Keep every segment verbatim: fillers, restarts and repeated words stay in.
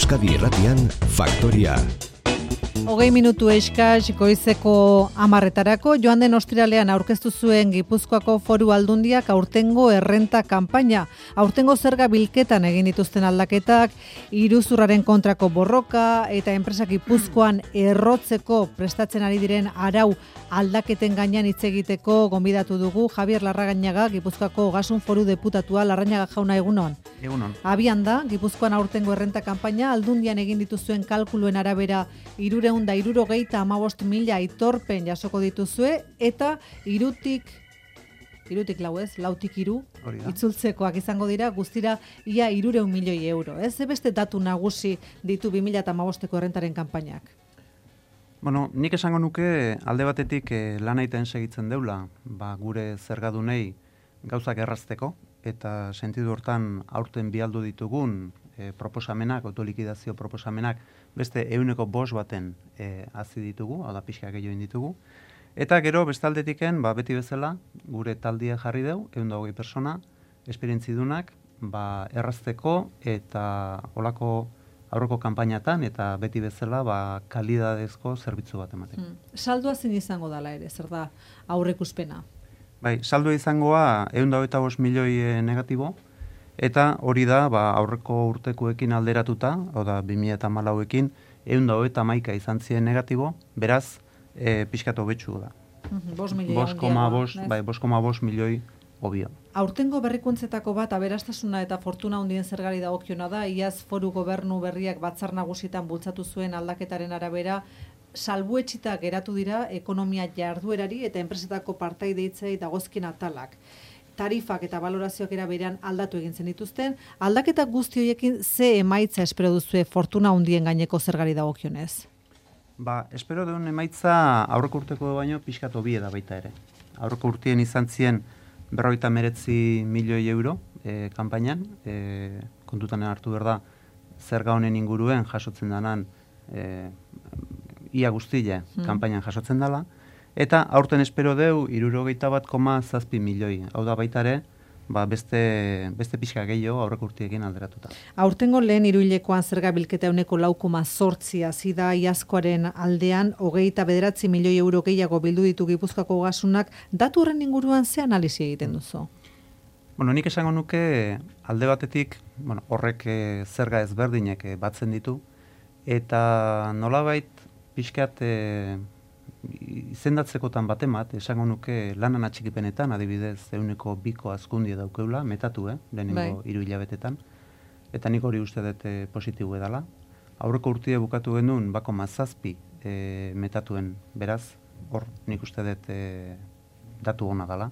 Euskadi Irratian Faktoria. Hogei minutu eskas goizeko hamarretarako joan den ostiralean aurkeztu zuen Gipuzkoako Foru Aldundiak aurtengo errenta kanpaina. Aurtengo zerga bilketan egin dituzten aldaketak, iruzurraren kontrako borroka eta enpresa Gipuzkoan errotzeko prestatzen ari diren arau aldaketen gainean hitz egiteko gonbidatu dugu Javier Larragañaga, Gipuzkoako Ogasun Foru Deputatua. Larrañaga jauna, egunon. Egunon. Abian da, Gipuzkoan aurtengo errenta kanpaina Aldundian egin dituzuen kalkuluen arabera hirurehun eta hirurogeita hamabost mila aitorpen jasoko dituzue eta hirutik hirutik lau ez, lautik hiru itzultzekoak izango dira guztira ia hirurehun milioi euro. Ez beste datu nagusi ditu bi mila hamabosteko errentaren kanpainak. Bueno, nik esango nuke alde batetik eh, lan egiten segitzen deula, ba, gure zergadunei gauzak errazteko eta sentidu hortan aurten bialdu ditugun eh, proposamenak, autolikidazio proposamenak beste ehuneko bost baten e, hazi ditugu, hau da pixka gehiago ditugu. Eta gero bestaldetiken, ba, beti bezala, gure taldia jarri deu, ehun eta hogei persona, esperientzidunak, ba, errazteko eta olako aurreko kanpainatan eta beti bezala ba, kalidadezko zerbitzu bat emateko. Hmm. Saldua zin izango dala ere, zer da aurrekuspena? Bai, saldua izangoa ehun eta hogeita bost milioi negatibo, eta hori da ba, aurreko urtekoekin alderatuta, hau da bi mila hamalauekin, ehun eta hogeita hamaika izan ziren negatibo, beraz, e, pixkatu betxu da. bost milioi bost koma bost, bai, bost koma bost milioi obio. Aurtengo berrikuntzetako bat aberastasuna eta fortuna handien zergari dagokiona da, iaz Foru Gobernu berriak batzar nagusietan bultzatu zuen aldaketaren arabera, salbuetsita geratu dira ekonomia jarduerari eta enpresetako partaidetzei dagozkien atalak. Tarifak eta valorazioak era berean aldatu egin zen dituzten, aldaketak guzti horiekin ze emaitza espero duzue fortuna handien gaineko zergari dagokionez? Ba, espero duen emaitza aurreko urteko baino pixkat hobie da baita ere. Aurreko urtien izan zien berrogeita hemeretzi milioi euro e, kanpainan, e, kontutan hartu behar da zerga honen inguruen jasotzen danan e, ia guztia hmm. kanpainan jasotzen dela. Eta aurten espero deu hirurogeita bat koma zazpi milioi. Hau da baita ere, ba beste, beste pixka gehiago aurreko urtiekin alderatuta. Aurtengo lehen hiruhilekoan zerga bilketa ehuneko lau koma zortzi hazi da iazkoaren aldean, hogeita bederatzi milioi euro gehiago bildu ditu Gipuzkoako Ogasunak. Datu horren inguruan ze analisi egiten duzu? Bueno, nik esango nuke alde batetik, bueno, horrek e, zerga ezberdinek e, batzen ditu, eta nolabait pixkat e, izendatzekotan batemat, esango nuke lanan atxikipenetan, adibidez, ehuneko biko azkundia daukeula, metatu, eh, lehenengo hiru hilabetetan, eta nik hori uste dut e, positibo edala. Aurreko urtie bukatu genuen, bako mazazpi e, metatuen, beraz, hor nik uste dut e, datu hona dela.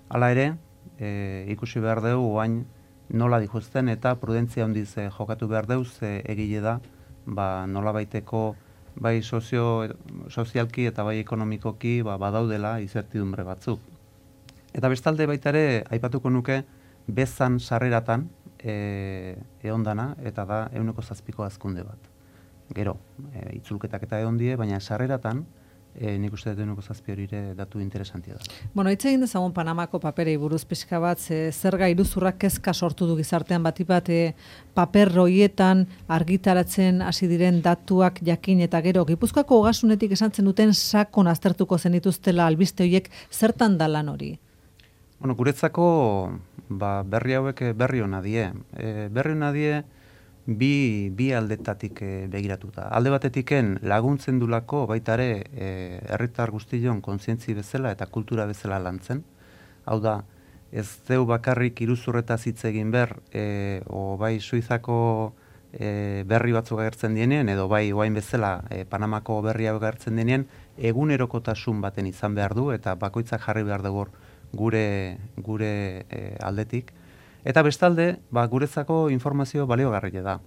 Hala ere, e, ikusi behar dugu, oain nola dijuzten eta prudentzia handiz e, jokatu behar dugu, ze egile da, ba, nola baiteko bai sozio, sozialki eta bai ekonomikoki ba, badaudela izertidumbre batzuk. Eta bestalde baita ere, aipatuko nuke, bezan sarreratan e, eondana, eta da ehuneko zazpiko azkunde bat. Gero, e, itzulketak eta eondie, baina sarreratan, e, nik uste dut ehuneko zazpi hori datu interesantia da. Bueno, hitz egin dezagun Panamako paperei buruz pixka bat, ze, zerga iruzurrak kezka sortu du gizartean bati bat, e, paper horietan argitaratzen hasi diren datuak jakin eta gero Gipuzkoako Ogasunetik esan zen duten sakon aztertuko zen dituztela albiste horiek, zertan da lan hori? Bueno, guretzako ba, berri hauek berri hona die. E, berri hona die bi, bi aldetatik e, begiratuta. Alde batetiken laguntzen dulako baita ere e, herritar guztion kontzientzi bezala eta kultura bezala lantzen. Hau da, ez deu bakarrik iruzurretaz hitz egin ber, e, o bai Suizako e, berri batzuk agertzen dienien, edo bai oain bezala e, Panamako berri hau agertzen dienien, egunerokotasun baten izan behar du, eta bakoitzak jarri behar dugu gure, gure e, aldetik. Eta bestalde, ba, guretzako informazio baliogarria da.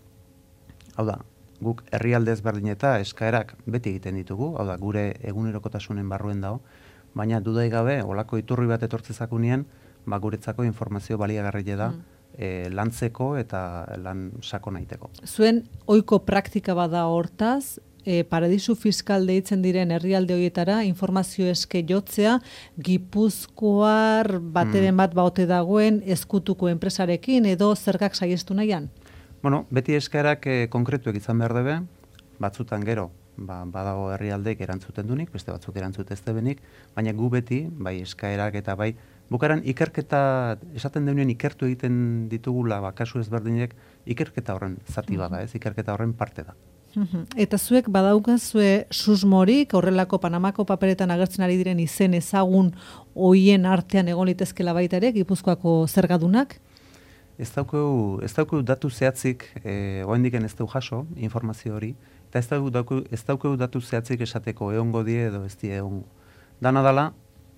Hau da, guk herrialde ezberdin eta eskaerak beti egiten ditugu, hau da, gure egunerokotasunen barruen dago, baina dudai gabe, olako iturri bat etortzezakunien, ba, guretzako informazio baliagarria da, mm. e, lantzeko eta lan sako naiteko. Zuen ohiko praktika bada hortaz, e, paradisu fiskal deitzen diren herrialde horietara informazio eske jotzea, Gipuzkoar bateren bat baote dagoen ezkutuko enpresarekin edo zergak saiestu nahian? Bueno, beti eskaerak eh, konkretuek izan behar debe, batzutan gero, ba, badago herrialdeek erantzuten dunik, beste batzuk erantzut ez debenik, baina gu beti, bai eskaerak eta bai, bukaran ikerketa, esaten deunien ikertu egiten ditugula, ba, kasu ezberdinek, ikerketa horren zati bada, ez, ikerketa horren parte da. Eta zuek badaukazue susmorik, horrelako Panamako paperetan agertzen ari diren izen ezagun hoien artean egon litezkela baita ere, Gipuzkoako zergadunak? Ez daukeu, ez daukeu datu zehatzik, e, oendiken ez dau jaso, informazio hori, eta ez daukeu, ez daukeu datu zehatzik esateko egongo die edo ez die egongo. Dana dala,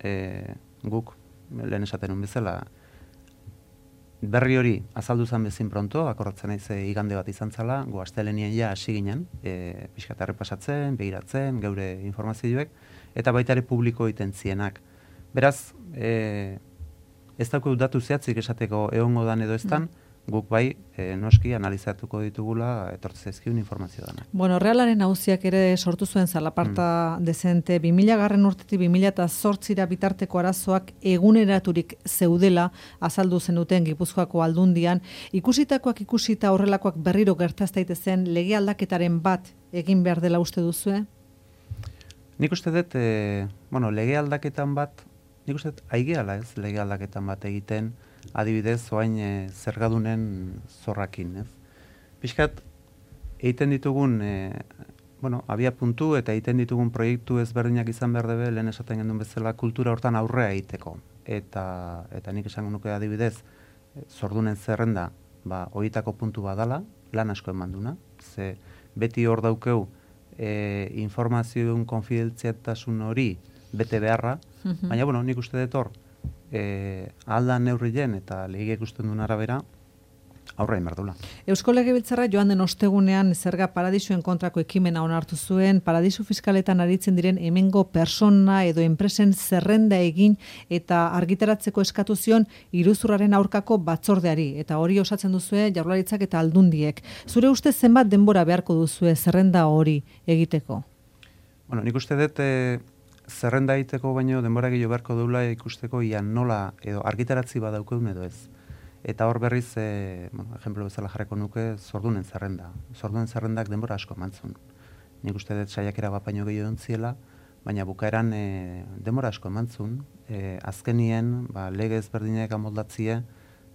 e, guk, lehen esaten un bezala, berri hori azaldu zan bezin pronto, akorratzen naiz igande bat izan zala, gu astelenien ja hasi ginen, e, pixkat errepasatzen, begiratzen, geure informazioek, eta baita ere publiko egiten zienak. Beraz, e, ez daukeu datu zehatzik esateko egongo dan edo eztan, guk bai, e, noski analizatuko ditugula etortze zaizkigun informazio dana. Bueno, Realaren auziak ere sortu zuen zalaparta mm. dezente, bi mila garren urtetik bi mila zortzira bitarteko arazoak eguneraturik zeudela azaldu zenuten Gipuzkoako aldundian, ikusitakoak ikusita horrelakoak berriro gertaz daitezen lege aldaketaren bat egin behar dela uste duzue? Nik uste dut, e, bueno, lege aldaketan bat, nik uste dut, aigeala ez lege aldaketan bat egiten, adibidez, oain e, zergadunen zorrakin, ez? Piskat, egiten ditugun, e, bueno, abia puntu eta egiten ditugun proiektu ezberdinak izan behar debe, lehen esaten gendun bezala, kultura hortan aurrea egiteko. Eta, eta nik esango nuke adibidez, e, zordunen zerrenda, ba, horietako puntu badala, lan asko emanduna, ze beti hor daukeu, e, informazioen konfidentzialtasun hori bete beharra, baina, bueno, nik uste dut hor, E, alda neurrien eta lege ikusten duen arabera aurrein berdula. Eusko Legebiltzarra joan den ostegunean zerga paradisuen kontrako ekimena onartu zuen, paradisu fiskaletan aritzen diren hemengo persona edo enpresen zerrenda egin eta argitaratzeko eskatu zion iruzurraren aurkako batzordeari, eta hori osatzen duzue Jaurlaritzak eta Aldundiek. Zure uste zenbat denbora beharko duzue zerrenda hori egiteko? Bueno, nik uste dut e, zerrenda egiteko baino denbora gehiago beharko duela ikusteko ian nola edo argitaratzi badaukeun edo ez. Eta hor berriz, e, bueno, ejemplo bezala jarreko nuke, zordunen zerrenda. Zordunen zerrendak denbora asko emantzun. Nik uste dut saiakera bat baino gehiago ontziela, baina bukaeran e, denbora asko emantzun. E, azkenien, ba, lege ezberdinak amoldatzie,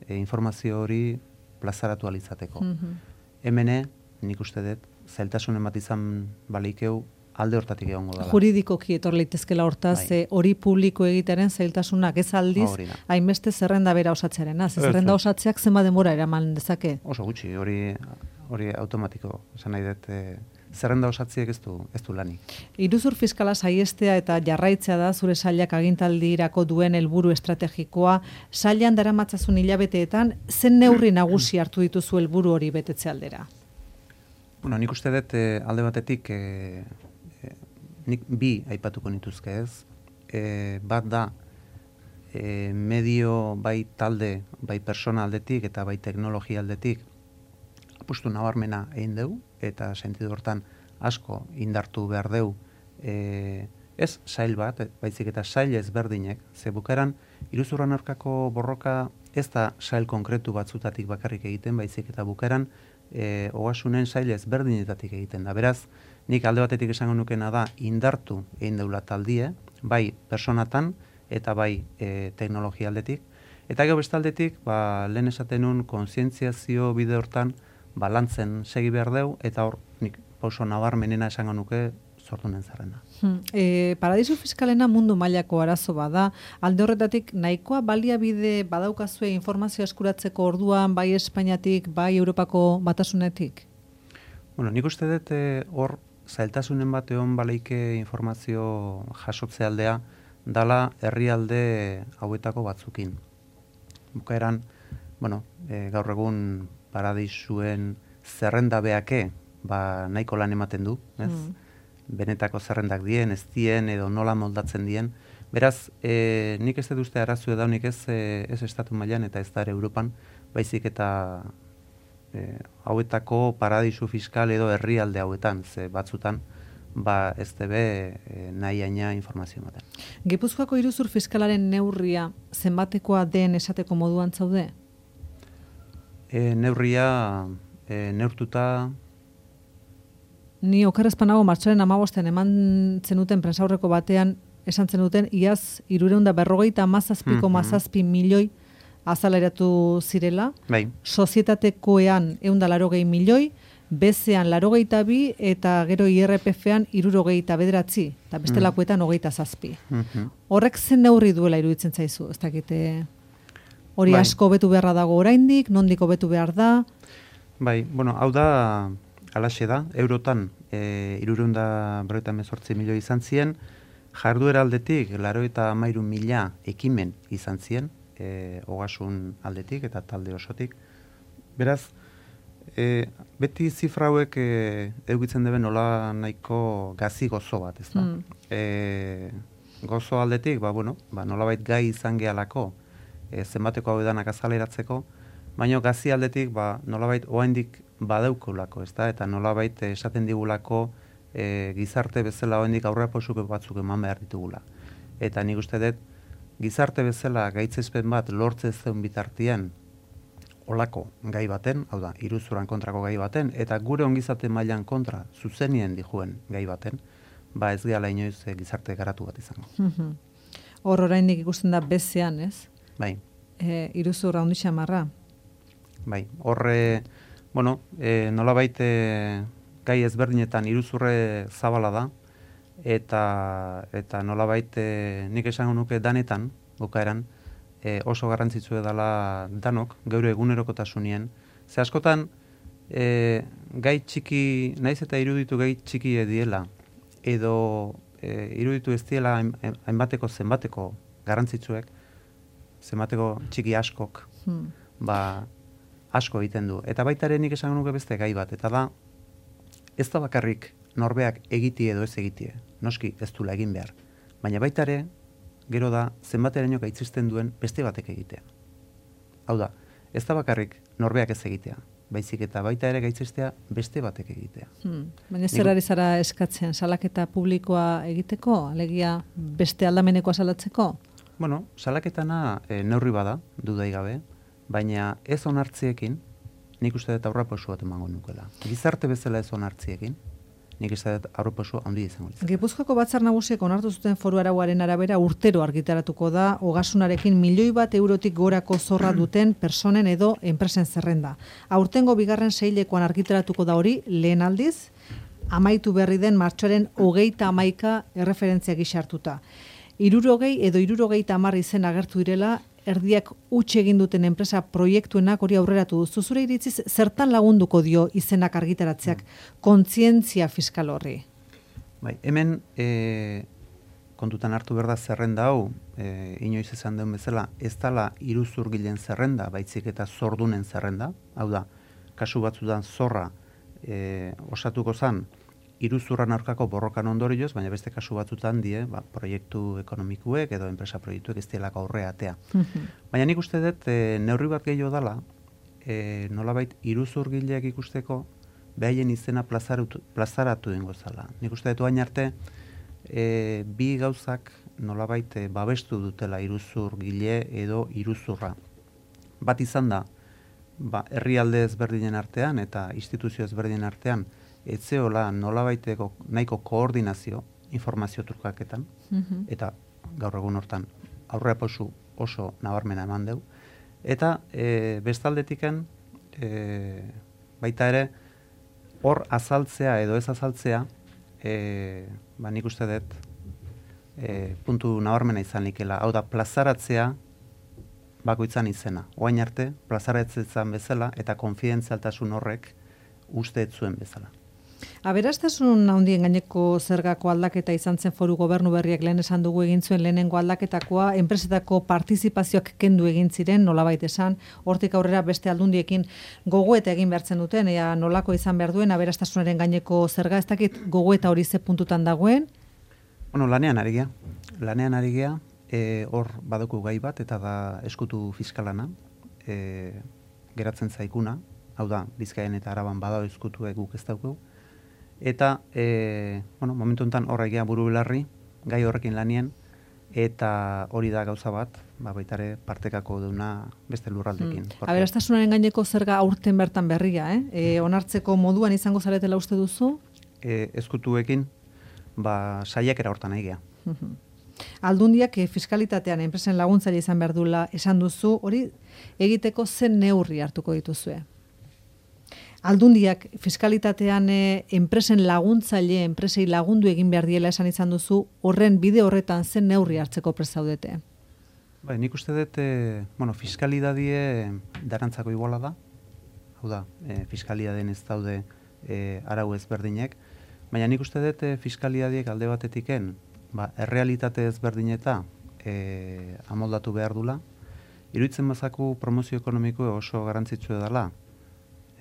e, informazio hori plazaratu alizateko. Mm-hmm. Hemene, nik uste dut, zailtasunen bat izan baleikeu, alde hortatik egongo dela. Juridikoki etor leitezkela hortaz, bai. Hori publiko egitaren zailtasunak ez aldiz, hainbeste zerrenda bera osatzearena. Zerrenda osatzeak zenba denbora eraman dezake? Oso gutxi, hori hori automatiko. Esan nahi dut, e, zerrenda osatziek ez du, ez du lanik. Iruzur fiskala saiestea eta jarraitzea da zure sailak agintaldirako duen helburu estrategikoa. Sailan daramatzazun hilabeteetan, zen neurri nagusi hartu dituzu helburu hori betetze aldera? Bueno, nik uste dut e, alde batetik e, nik bi aipatuko nituzke ez. E, bat da, e, medio bai talde, bai persona aldetik eta bai teknologia aldetik apustu nabarmena egin dugu, eta sentidu hortan asko indartu behar dugu. E, ez sail bat, baizik eta sail ezberdinek, ze bukaeran iruzurran aurkako borroka ez da sail konkretu batzutatik bakarrik egiten, baizik eta bukaeran e, ogasunen sail ezberdinetatik egiten da. Beraz, nik alde batetik esango nukena da indartu egin deula taldie, bai personatan eta bai e, teknologia aldetik. Eta gero bestaldetik, ba, lehen esaten nun kontzientziazio bide hortan balantzen segi behar deu, eta hor nik pauso nabarmenena esango nuke zordunen zerrena. Hmm. E, paradisu fiskalena mundu mailako arazo bada, alde horretatik nahikoa baliabide badaukazue informazio eskuratzeko orduan bai Espainiatik, bai Europako batasunetik? Bueno, nik uste dut hor zailtasunen bat egon baleike informazio jasotze aldea dala herrialde hauetako batzukin. Bukaeran, bueno, e, gaur egun paradisuen zerrenda beake, ba, nahiko lan ematen du, ez? Mm. Benetako zerrendak dien, ez dien, edo nola moldatzen dien. Beraz, e, nik ez dut uste arazu edaunik ez, e, ez estatu mailan eta ez da ere Europan, baizik eta e, hauetako paradisu fiskal edo herrialde hauetan, ze batzutan, ba ez debe e, nahi aina informazio ematen. Gipuzkoako iruzur fiskalaren neurria zenbatekoa den esateko moduan zaude? E, neurria e, neurtuta... Ni okerrezpanago martxoaren hamabosten eman zenuten prensaurreko batean, esan zenuten, iaz, irureunda berrogeita mazazpiko Mhm. mazazpi milioi azaleratu zirela, Bai. sozietatekoean eunda larogei milioi, bezean larogeita bi, eta gero I R P F-ean irurogeita bederatzi, eta bestelakoetan hogeita zazpi. Mhm. Horrek zen neurri duela iruditzen zaizu, ez dakite hori Bai. asko betu beharra dago oraindik, nondik hobetu behar da. Bai, bueno, hau da, alaxe da, eurotan, e, irureunda berrogeita hemezortzi milioi izan ziren, jarduera aldetik, laurogeita hamairu mila ekimen izan ziren, e, ogasun aldetik eta talde osotik. Beraz, e, beti zifra hauek e, eukitzen deben nola nahiko gazi gozo bat, ez da? Mm. E, gozo aldetik, ba, bueno, ba, nolabait gai izan gehalako, e, zenbateko hau edanak azaleratzeko, baina gazi aldetik, ba, nolabait oraindik badaukolako, ez da? Eta nolabait esaten digulako e, gizarte bezala oraindik aurrerapauso batzuk eman behar ditugula. Eta nik uste dut, gizarte bezala gaitzespen bat lortze zeun bitartean olako gai baten, hau da, iruzurran kontrako gai baten, eta gure ongizate mailan kontra zuzenien dijuen gai baten, ba ez gehala inoiz e, gizarte garatu bat izango. Mhm. Hor oraindik ikusten da bezean, ez? Bai, E, iruzur handi xamarra. bai. Horre, bueno, e, nolabait e, gai ezberdinetan iruzurre zabala da, eta eta nolabait e, nik esango nuke danetan, bukaeran, e, oso garrantzitsua dela danok, geure egunerokotasunien. Ze askotan, e, gai txiki, naiz eta iruditu gai txiki ediela, edo e, iruditu ez diela hain- hainbateko zenbateko garrantzitsuek, zenbateko txiki askok, Hmm. ba, asko egiten du. Eta baita ere nik esango nuke beste gai bat, eta da, ez da bakarrik norbeak egitie edo ez egitie, noski ez dula egin behar, baina baita ere, gero da, zenbateraino gaitzisten duen beste batek egitea. Hau da, ez da bakarrik norbeak ez egitea, baizik eta baita ere gaitzestea beste batek egitea. Hmm. Baina zer ari zara eskatzen, salaketa publikoa egiteko, alegia beste aldamenekoa salatzeko? Bueno, salaketana e, neurri bada, dudai gabe, baina ez onartziekin, nik uste dut aurrapauso bat emango nukela. Gizarte bezala ez onartziekin, nik uste dut aurrapauso handi izango litzake. Gipuzkoako batzar nagusiek onartu zuten foru arauaren arabera urtero argitaratuko da ogasunarekin milioi bat eurotik gorako zorra duten personen edo enpresen zerrenda. Aurtengo bigarren seilekoan argitaratuko da hori lehen aldiz, amaitu berri den martxoaren hogeita hamaika erreferentzia gisa hartuta. Hirurogei edo hirurogeita hamar izen agertu direla, erdiak utxe egin duten enpresa proiektuenak hori aurreratu duzu. Zure iritziz, zertan lagunduko dio izenak argitaratzeak kontzientzia fiskal horri? Bai, hemen e, kontutan hartu behar da zerrenda hau, e, inoiz esan den bezala, ez dala iruzurgilen zerrenda, baitzik eta zordunen zerrenda, hau da, kasu batzutan zorra e, osatuko zan, iruzurran aurkako borrokan ondorioz, baina beste kasu batzutan die, ba, proiektu ekonomikuek edo enpresa proiektuek ez dielako aurre atea. Baina nik uste dut, e, neurri bat gehiago dala, e, nolabait iruzurgileak ikusteko, behaien izena plazaratu, plazaratu dengo zala. Nik uste dut oain arte, e, bi gauzak nolabait e, babestu dutela iruzurgile edo iruzurra. Bat izan da, ba, herrialde ezberdinen artean eta instituzio ezberdinen artean, etzeola nolabaiteko nahiko koordinazio informazio trukaketan, eta gaur egun hortan aurrerapauso oso nabarmena eman deu. Eta e, bestaldetiken e, baita ere hor azaltzea edo ez azaltzea, e, ba, nik uste dut e, puntu nabarmena izan likela. Hau da, plazaratzea bakoitzan izena. Oain arte, plazaratzen bezala eta konfidentzialtasun horrek uste ez zuen bezala. Aberastasun handien gaineko zergako aldaketa izan zen foru gobernu berriak lehen esan dugu egin zuen lehenengo aldaketakoa, enpresetako partizipazioak kendu egin ziren, nolabait esan, hortik aurrera beste aldundiekin gogoeta egin behartzen duten, ea nolako izan behar duen aberastasunaren gaineko zerga, ez dakit gogoeta hori ze puntutan dagoen? Bueno, lanean ari gea. Lanean ari gea, e, hor baduku gai bat, eta da eskutu fiskalana, e, geratzen zaikuna, hau da, Bizkaian eta Araban badao eskutu guk ez dauku, eta, e, bueno, momentu enten horra egea buru belarri, gai horrekin lanien, eta hori da gauza bat, ba, baitare partekako duna beste lurraldekin. Hmm. Aberastasunaren gaineko zerga aurten bertan berria, eh? E, onartzeko moduan izango zaretela uste duzu? E, ezkutuekin, ba, saiakera hortan egia. Aldundiak e, fiskalitatean enpresen laguntzaile izan behar duela esan duzu, hori egiteko zen neurri hartuko dituzue? Aldundiak fiskalitatean e, enpresen laguntzaile, enpresei lagundu egin behar diela esan izan duzu, horren bide horretan zen neurri hartzeko prest zaudete? Bai, nik uste dut, e, bueno, fiskalidadie darantzako iguala da, hau da, e, fiskalidaden ez daude e, arau ezberdinek, baina nik uste dut e, fiskalidadiek alde batetiken, ba, errealitate ezberdineta e, amoldatu behar dula, iruditzen bazaku promozio ekonomiko oso garrantzitsua dela,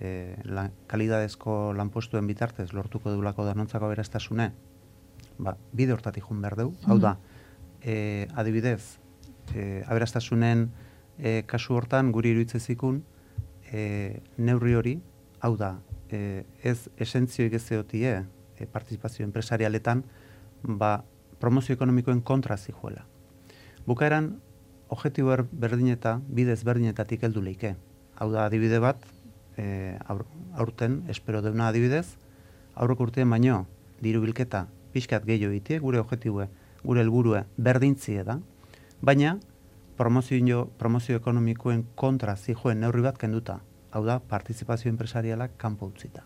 E, la, kalidadezko lanpostuen bitartez lortuko dulako danontzako aberastasune, ba, bide hortatik jun behar dugu. Hau da, e, adibidez, e, aberastasunen e, kasu hortan guri iruditzezikun e, neurri hori, hau da, e, ez esentzioik ez zeotie e, partizipazio empresarialetan, ba, promozio ekonomikoen kontra zijuela. Bukaeran, objektibo berdineta, bidez berdinetatik heldu leike. Hau da, adibide bat, E, aur, aurten, espero deuna adibidez, aurreko urtean baino, diru bilketa pixkat gehiago egitea, gure objektibue, gure helburue berdintzie da, baina promozio, promozio ekonomikoen kontra zijoen neurri bat kenduta, hau da, partizipazio empresarialak kanpo utzita.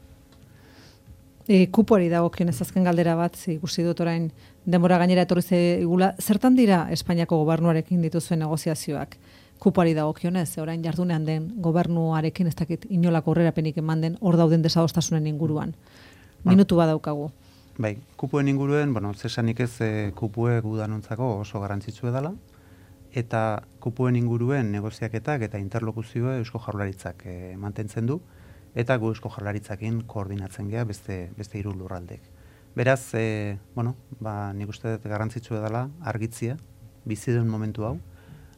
E, kupoari dagokionez azken galdera bat, ikusi dut orain denbora gainera etorri zaigula, zertan dira Espainiako gobernuarekin dituzuen negoziazioak? Kupoari dagokionez, orain jardunean den gobernuarekin ez dakit inolako aurrerapenik eman den hor dauden desadostasunen inguruan. Minutu badaukagu. Bai, kupuen inguruen, bueno, zesanik ez e, kupue gudanontzako oso garrantzitsua dela, eta kupuen inguruen negoziaketak eta interlokuzioa Eusko Jaurlaritzak e, mantentzen du, eta gu Eusko Jaurlaritzakin koordinatzen gea beste, beste hiru lurraldek. Beraz, e, bueno, ba, nik uste dut garrantzitsua dela argitzia, bizi den momentu hau,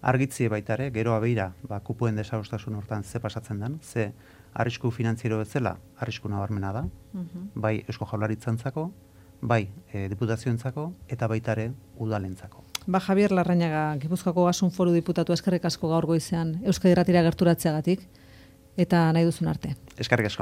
argitzie baitare, gero abeira, ba, kupuen desadostasun hortan ze pasatzen den, ze arrisku finantziero bezala, arrisku nabarmena da, uh-huh. bai Eusko Jaurlaritzantzako, bai e, diputazioentzako, eta baitare udalentzako. Ba, Javier Larrañaga, Gipuzkoako Ogasun Foru Diputatu, eskerrik asko gaur goizean Euskadi Irratira gerturatzeagatik, eta nahi duzun arte. Eskerrik asko.